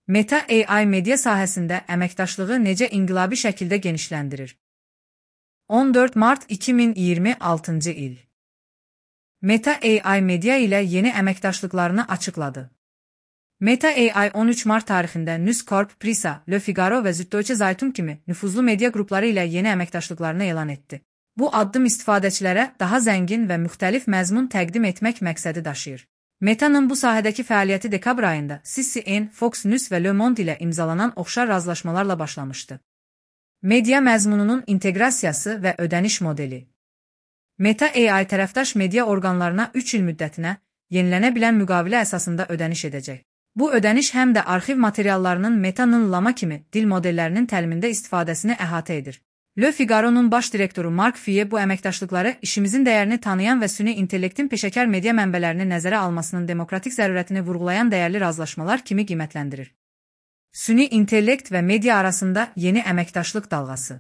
Meta AI media sahəsində əməkdaşlığı necə inqilabi şəkildə genişləndirir? 14 mart 2026-cı il. Meta AI media ilə yeni əməkdaşlıqlarını açıqladı. Meta AI 13 mart tarixində News Corp, Prisa, Le Figaro və Süddeutsche Zeitung kimi nüfuzlu media qrupları ilə yeni əməkdaşlıqlarını elan etdi. Bu addım istifadəçilərə daha zəngin və müxtəlif məzmun təqdim etmək məqsədi daşıyır. Meta'nın bu sahədəki fəaliyyəti dekabr ayında CNN, Fox News və Le Monde ilə imzalanan oxşar razılaşmalarla başlamışdı. Media məzmununun inteqrasiyası və ödəniş modeli. Meta AI tərəfdaş media orqanlarına 3 il müddətinə yenilənə bilən müqavilə əsasında ödəniş edəcək. Bu ödəniş həm də arxiv materiallarının Meta'nın Llama kimi dil modellərinin təlimində istifadəsini əhatə edir. Le Figaro'nun baş direktoru Mark Fie bu əməkdaşlıqları işimizin dəyərini tanıyan və süni intellektin peşəkar media mənbələrini nəzərə almasının demokratik zərurətini vurğulayan dəyərli razılaşmalar kimi qiymətləndirir. Süni intellekt və media arasında yeni əməkdaşlıq dalğası.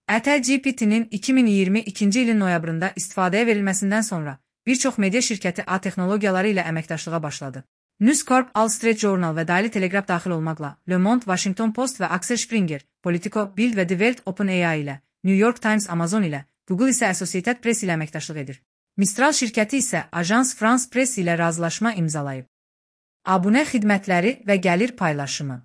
GPT-nin 2022-ci ilin noyabrında istifadəyə verilməsindən sonra bir çox media şirkəti A texnologiyaları ilə əməkdaşlığa başladı. News Corp, Wall Street Journal və Daily Telegraph daxil olmaqla Le Monde, Washington Post və Axel Springer, Politico, Bild və Die Welt OpenAI ilə, New York Times, Amazon ilə, Google isə Associated Press ilə əməkdaşlıq edir. Mistral şirkəti isə Agence France Presse ilə razılaşma imzalayıb. Abunə xidmətləri və gəlir paylaşımı.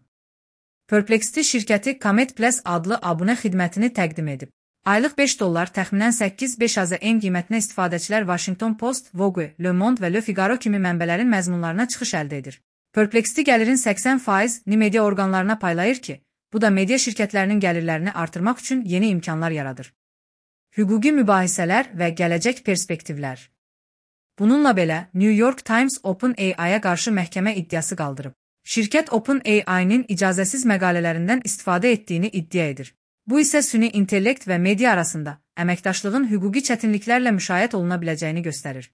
Perplexity şirkəti Comet Plus adlı abunə xidmətini təqdim edib. Aylıq $5, təxminən 8-5 AZN qiymətinə istifadəçilər Washington Post, Vogue, Le Monde və Le Figaro kimi mənbələrin məzmunlarına çıxış əldə edir. Perplexity gəlirin 80%-ni media orqanlarına paylayır ki, bu da media şirkətlərinin gəlirlərini artırmaq üçün yeni imkanlar yaradır. Hüquqi mübahisələr və gələcək perspektivlər. Bununla belə, New York Times OpenAI-yə qarşı məhkəmə iddiası qaldırıb. Şirkət OpenAI-nin icazəsiz məqalələrindən istifadə etdiyini iddia edir. Bu isə süni intellekt və media arasında əməkdaşlığın hüquqi çətinliklərlə müşahidə oluna biləcəyini göstərir.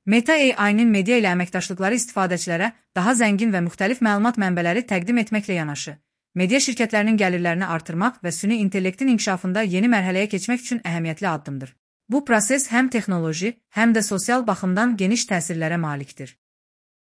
Meta AI-nin media ilə əməkdaşlıqları istifadəçilərə daha zəngin və müxtəlif məlumat mənbələri təqdim etməklə yanaşı, media şirkətlərinin gəlirlərini artırmaq və süni intellektin inkişafında yeni mərhələyə keçmək üçün əhəmiyyətli addımdır. Bu proses həm texnoloji, həm də sosial baxımdan geniş təsirlərə malikdir.